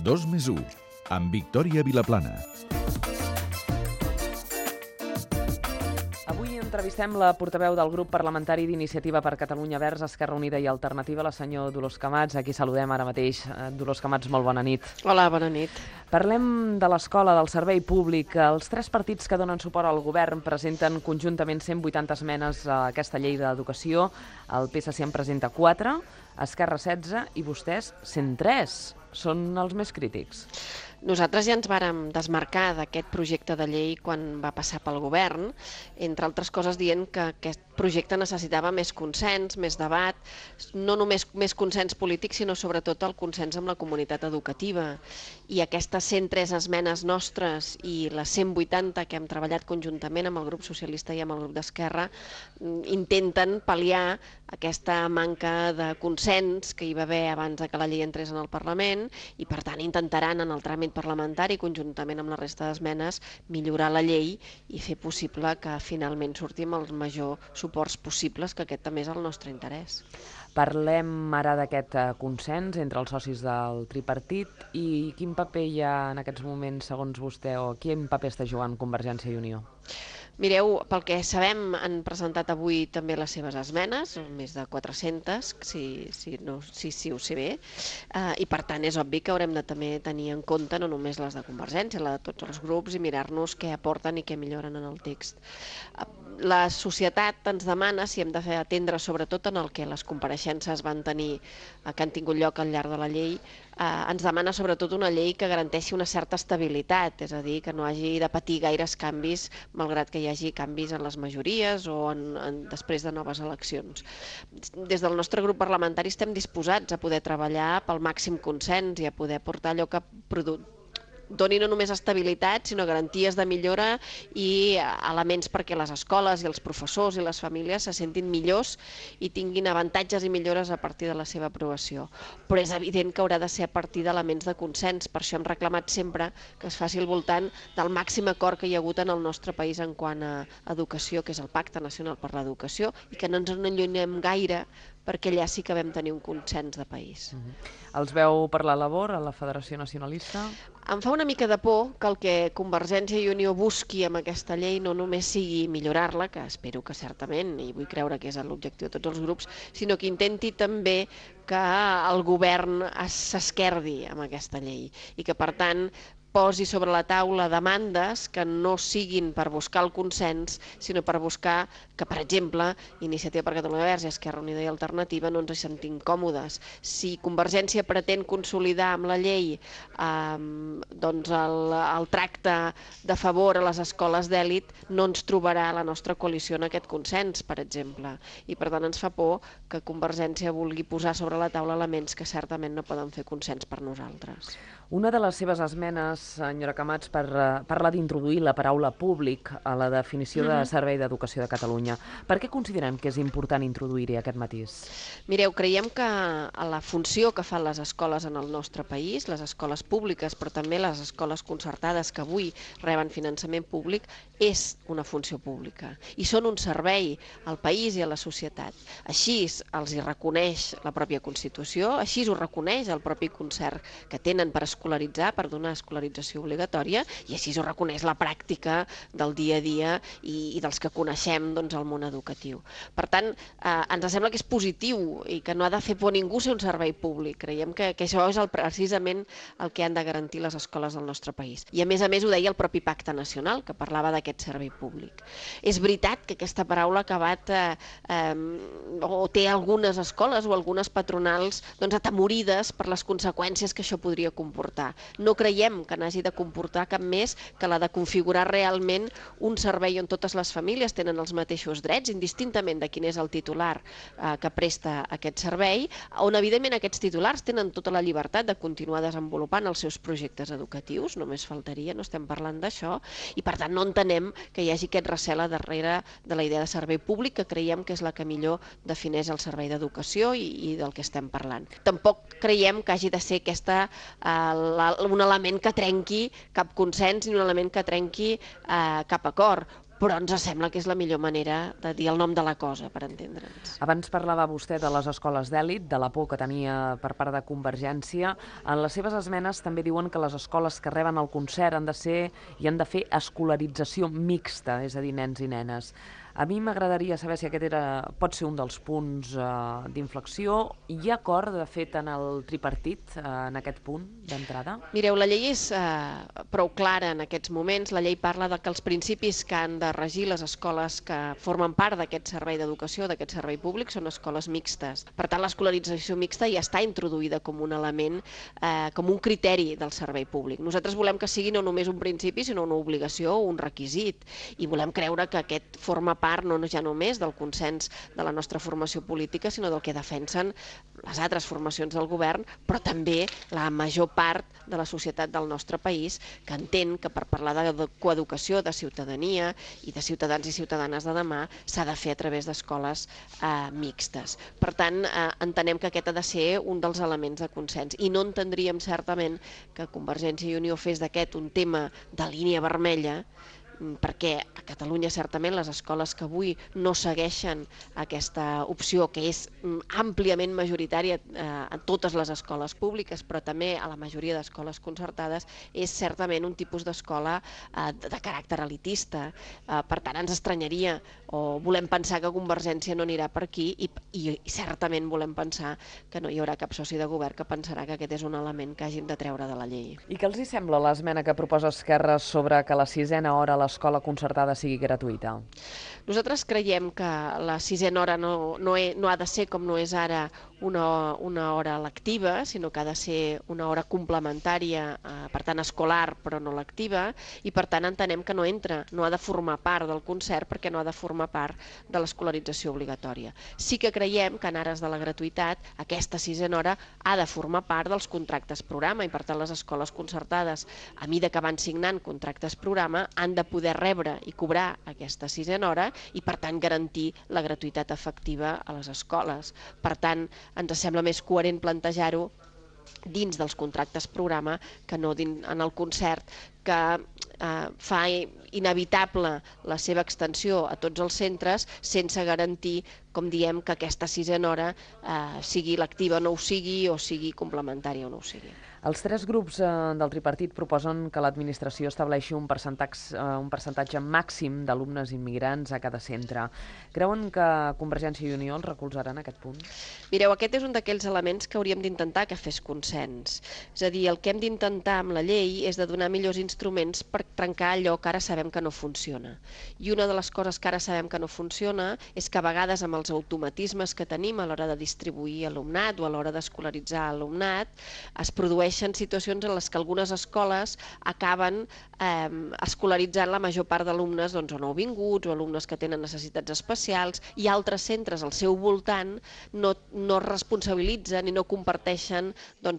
2+1, amb Victòria Vilaplana. Avui entrevistem la portaveu del grup parlamentari d'Iniciativa per Catalunya Verds, Esquerra Unida i Alternativa, la senyor Dolors Camats. Aquí saludem ara mateix. Dolors Camats, molt bona nit. Hola, bona nit. Parlem de l'escola, del servei públic. Els tres partits que donen suport al govern presenten conjuntament 180 esmenes a aquesta llei d'educació. El PSC en presenta 4, Esquerra 16 i vostès 103. Són els més crítics. Nosaltres ja ens vàrem desmarcar d'aquest projecte de llei quan va passar pel govern, entre altres coses dient que aquest projecte necessitava més consens, més debat, no només més consens polític, sinó sobretot el consens amb la comunitat educativa. I aquestes 103 esmenes nostres i les 180 que hem treballat conjuntament amb el grup socialista i amb el grup d'Esquerra intenten pal·liar aquesta manca de consens que hi va haver abans que la llei entrés en el Parlament i, per tant, intentaran en el tràmit parlamentari, conjuntament amb la resta d'esmenes, millorar la llei i fer possible que finalment surti amb els majors suports possibles, que aquest també és el nostre interès. Parlem ara d'aquest consens entre els socis del tripartit i quin paper hi ha en aquests moments, segons vostè, o quin paper està jugant Convergència i Unió? Mireu, pel que sabem, han presentat avui també les seves esmenes, més de 400, si ho sé bé, i per tant és obvi que haurem de també tenir en compte no només les de Convergència, la de tots els grups, i mirar-nos què aporten i què milloren en el text. La societat ens demana si hem de fer atendre sobretot en el que les compareixences van tenir, que han tingut lloc al llarg de la llei, ens demana sobretot una llei que garanteixi una certa estabilitat, és a dir, que no hagi de patir gaires canvis, malgrat que hi hagi canvis en les majories o després de noves eleccions. Des del nostre grup parlamentari estem disposats a poder treballar pel màxim consens i a poder portar allò que doni no només estabilitat, sinó garanties de millora i elements perquè les escoles i els professors i les famílies se sentin millors i tinguin avantatges i millores a partir de la seva aprovació. Però és evident que haurà de ser a partir d'elements de consens, per això hem reclamat sempre que es faci al voltant del màxim acord que hi ha hagut en el nostre país en quant a educació, que és el Pacte Nacional per l'Educació, i que no ens n'allunyem gaire perquè allà sí que vam tenir un consens de país. Els veu per la labor a la Federació Nacionalista? Em fa una mica de por que el que Convergència i Unió busqui amb aquesta llei no només sigui millorar-la, que espero que certament, i vull creure que és l'objectiu de tots els grups, sinó que intenti també que el govern s'esquerdi amb aquesta llei i que, per tant, posi sobre la taula demandes que no siguin per buscar el consens, sinó per buscar que, per exemple, Iniciativa per Catalunya Verds i Esquerra Unida i Alternativa no ens hi sentim còmodes. Si Convergència pretén consolidar amb la llei el tracte de favor a les escoles d'èlit, no ens trobarà la nostra coalició en aquest consens, per exemple. I per tant ens fa por que Convergència vulgui posar sobre la taula elements que certament no poden fer consens per nosaltres. Una de les seves esmenes, senyora Camats, parla d'introduir la paraula públic a la definició de Servei d'Educació de Catalunya. Per què considerem que és important introduir-hi aquest matís? Mireu, creiem que la funció que fan les escoles en el nostre país, les escoles públiques, però també les escoles concertades que avui reben finançament públic, és una funció pública i són un servei al país i a la societat. Així els hi reconeix la pròpia Constitució, així ho reconeix el propi concert que tenen per escolaritzar, per donar escolarització obligatòria, i així ho reconeix la pràctica del dia a dia i dels que coneixem el món educatiu. Per tant, ens sembla que és positiu i que no ha de fer por a ningú ser un servei públic. Creiem que això és precisament el que han de garantir les escoles del nostre país. I a més ho deia el propi Pacte Nacional, que parlava d'aquest servei públic. És veritat que aquesta paraula ha acabat o té algunes escoles o algunes patronals atemorides per les conseqüències que això podria comportar. No creiem que n'hagi de comportar cap més que la de configurar realment un servei on totes les famílies tenen els mateixos drets, indistintament de quin és el titular que presta aquest servei, on evidentment aquests titulars tenen tota la llibertat de continuar desenvolupant els seus projectes educatius, només faltaria, no estem parlant d'això, i per tant no entenem que hi hagi aquest recel a darrere de la idea de servei públic, que creiem que és la que millor defineix el servei d'educació i del que estem parlant. Tampoc creiem que hagi de ser aquesta un element que trenqui cap consens ni un element que trenqui cap acord. però ens sembla que és la millor manera de dir el nom de la cosa, per entendre'ns. Abans parlava vostè de les escoles d'èlit, de la por que tenia per part de Convergència. En les seves esmenes també diuen que les escoles que reben el concert han de ser i han de fer escolarització mixta, és a dir, nens i nenes. A mi m'agradaria saber si aquest pot ser un dels punts d'inflexió. Hi ha acord, de fet, en el tripartit, en aquest punt d'entrada? Mireu, la llei és prou clara en aquests moments. La llei parla de que els principis que han de regir les escoles que formen part d'aquest servei d'educació, d'aquest servei públic, són escoles mixtes. Per tant, l'escolarització mixta ja està introduïda com un element, com un criteri del servei públic. Nosaltres volem que sigui no només un principi, sinó una obligació o un requisit. I volem creure que aquest forma part no ja només del consens de la nostra formació política, sinó del que defensen les altres formacions del govern, però també la major part de la societat del nostre país, que entén que per parlar de coeducació, de ciutadania i de ciutadans i ciutadanes de demà s'ha de fer a través d'escoles mixtes. Per tant, entenem que aquest ha de ser un dels elements de consens i no entendríem certament que Convergència i Unió fes d'aquest un tema de línia vermella, perquè a Catalunya certament les escoles que avui no segueixen aquesta opció, que és àmpliament majoritària a totes les escoles públiques, però també a la majoria d'escoles concertades, és certament un tipus d'escola de caràcter elitista. Per tant, ens estranyaria o volem pensar que Convergència no anirà per aquí i certament volem pensar que no hi haurà cap soci de govern que pensarà que aquest és un element que hàgim de treure de la llei. I què els hi sembla l'esmena que proposa Esquerra sobre que la 6a hora a l'escola concertada sigui gratuïta? Nosaltres creiem que la 6a hora no ha de ser, com no és ara, una hora lectiva, sinó que ha de ser una hora complementària, per tant escolar, però no lectiva, i per tant entenem que no entra, no ha de formar part del concert perquè no ha de formar part de l'escolarització obligatòria. Sí que creiem que en ares de la gratuïtat aquesta 6a hora ha de formar part dels contractes programa i per tant les escoles concertades, a mida que van signant contractes programa, han de poder rebre i cobrar aquesta 6a hora i per tant garantir la gratuïtat efectiva a les escoles. Per tant, ens sembla més coherent plantejar-ho dins dels contractes programa que no en el concert, que fa inevitable la seva extensió a tots els centres sense garantir, com diem, que aquesta 6a hora sigui lectiva o no ho sigui, o sigui complementària o no ho sigui. Els tres grups del tripartit proposen que l'administració estableixi un percentatge màxim d'alumnes immigrants a cada centre. Creuen que Convergència i Unió els recolzarà en aquest punt? Mireu, aquest és un d'aquells elements que hauríem d'intentar que fes consens. És a dir, el que hem d'intentar amb la llei és de donar millors instruments per trencar allò que ara sabem que no funciona. I una de les coses que ara sabem que no funciona és que a vegades amb els automatismes que tenim a l'hora de distribuir alumnat o a l'hora d'escolaritzar alumnat es produeixen situacions en les que algunes escoles acaben escolaritzant la major part d'alumnes o nouvinguts o alumnes que tenen necessitats especials i altres centres al seu voltant no responsabilitzen i no comparteixen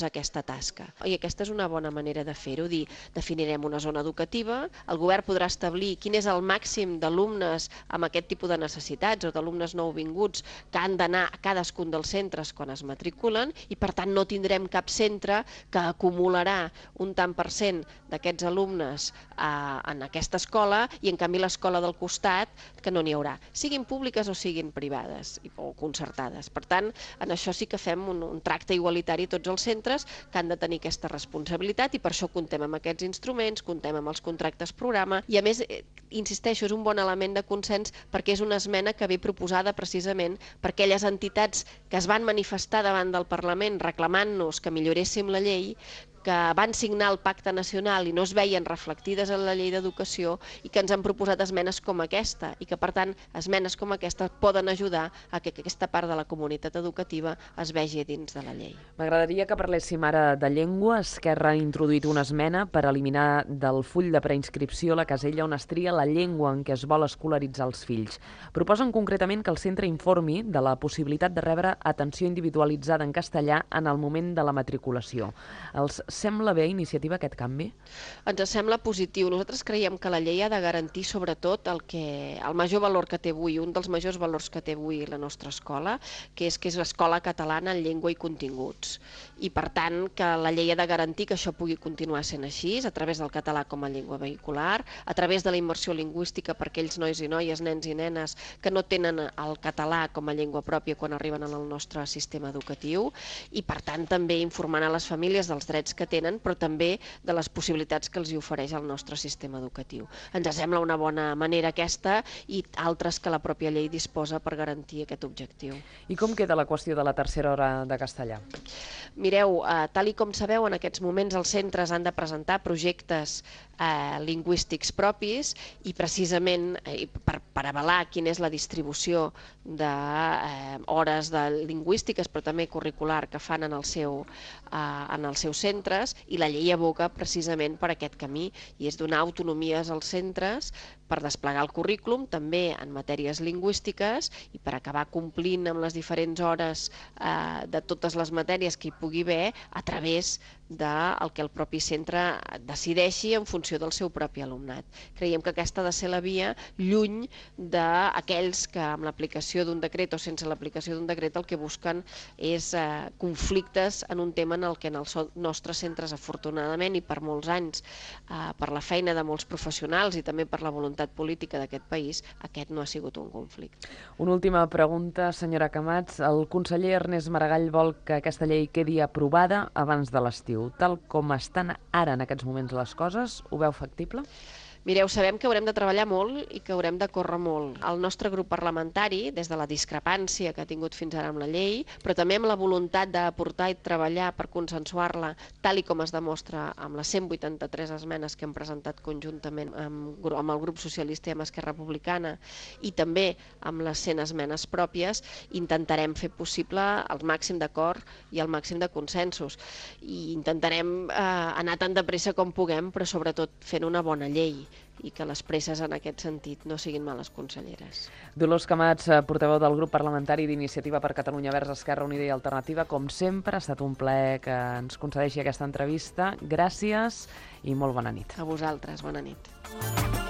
aquesta tasca. I aquesta és una bona manera de fer-ho, dir, definirem una zona educativa, el govern podrà establir quin és el màxim d'alumnes amb aquest tipus de necessitats o d'alumnes nouvinguts que han d'anar a cadascun dels centres quan es matriculen i per tant no tindrem cap centre que acumularà un tant per cent d'aquests alumnes en aquesta escola i en canvi l'escola del costat que no n'hi haurà, siguin públiques o siguin privades o concertades. Per tant, en això sí que fem un tracte igualitari a tots els centres que han de tenir aquesta responsabilitat i per això comptem amb aquests instruments, comptem amb els contractes programa i a més, insisteixo, és un bon element de consens perquè és una esmena que ve proposada precisament per aquelles entitats que es van manifestar davant del Parlament reclamant-nos que milloréssim la llei, que van signar el Pacte Nacional i no es veien reflectides en la llei d'educació i que ens han proposat esmenes com aquesta i que, per tant, esmenes com aquesta poden ajudar a que aquesta part de la comunitat educativa es vegi dins de la llei. M'agradaria que parléssim ara de llengua. Esquerra ha introduït una esmena per eliminar del full de preinscripció la casella on es tria la llengua en què es vol escolaritzar els fills. Proposen concretament que el centre informi de la possibilitat de rebre atenció individualitzada en castellà en el moment de la matriculació. Els sembla bé a Iniciativa aquest canvi? Ens sembla positiu. Nosaltres creiem que la llei ha de garantir sobretot el major valor que té avui, un dels majors valors que té avui la nostra escola, que és l'escola catalana en llengua i continguts. I per tant que la llei ha de garantir que això pugui continuar sent així, a través del català com a llengua vehicular, a través de la immersió lingüística per aquells nois i noies, nens i nenes que no tenen el català com a llengua pròpia quan arriben al nostre sistema educatiu, i per tant també informant a les famílies dels drets que tenen, però també de les possibilitats que els hi ofereix el nostre sistema educatiu. Ens sembla una bona manera aquesta i altres que la pròpia llei disposa per garantir aquest objectiu. I com queda la qüestió de la tercera hora de castellà? Mireu, tal i com sabeu, en aquests moments els centres han de presentar projectes lingüístics propis i precisament per avalar quina és la distribució d'hores lingüístiques però també curricular que fan en els seus centres, i la llei aboca precisament per aquest camí, i és donar autonomies als centres per desplegar el currículum també en matèries lingüístiques i per acabar complint amb les diferents hores de totes les matèries que hi pugui haver a través del que el propi centre decideixi en funció del seu propi alumnat. Creiem que aquesta ha de ser la via, lluny d'aquells que amb l'aplicació d'un decret o sense l'aplicació d'un decret el que busquen és conflictes en un tema en el que en els nostres centres, afortunadament, i per molts anys, per la feina de molts professionals i també per la voluntat política d'aquest país, aquest no ha sigut un conflicte. Una última pregunta, senyora Camats. El conseller Ernest Maragall vol que aquesta llei quedi aprovada abans de l'estiu. Tal com estan ara en aquests moments les coses, ho veu factible? Mireu, sabem que haurem de treballar molt i que haurem de córrer molt. El nostre grup parlamentari, des de la discrepància que ha tingut fins ara amb la llei, però també amb la voluntat d'aportar i treballar per consensuar-la, tal i com es demostra amb les 183 esmenes que hem presentat conjuntament amb el grup socialista i amb Esquerra Republicana, i també amb les 100 esmenes pròpies, intentarem fer possible el màxim d'acord i el màxim de consensos. I intentarem anar tan de pressa com puguem, però sobretot fent una bona llei, i que les presses en aquest sentit no siguin males conselleres. Dolors Camats, portaveu del grup parlamentari d'Iniciativa per Catalunya Verds, Esquerra Unida i Alternativa, com sempre, ha estat un plaer que ens concedeixi aquesta entrevista. Gràcies i molt bona nit. A vosaltres, bona nit.